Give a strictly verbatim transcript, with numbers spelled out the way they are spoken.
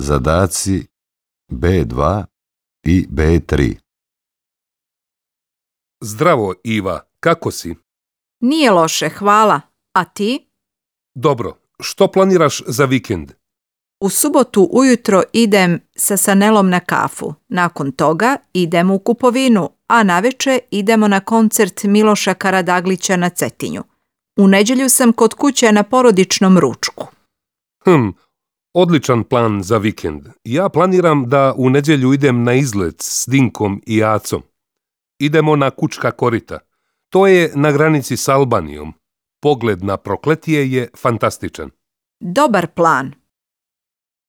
Zadaci B dva i B tri. Zdravo, Iva, kako si? Nije loše, hvala. A ti? Dobro, što planiraš za vikend? U subotu ujutro idem sa Sanelom na kafu. Nakon toga idemo u kupovinu, a navečer idemo na koncert Miloša Karadaglića na Cetinju. U nedjelju sam kod kuće na porodičnom ručku. Hm, odličan plan za vikend. Ja planiram da u nedjelju idem na izlet s Dinkom i Acom. Idemo na Kučka korita. To je na granici s Albanijom. Pogled na Prokletije je fantastičan. Dobar plan.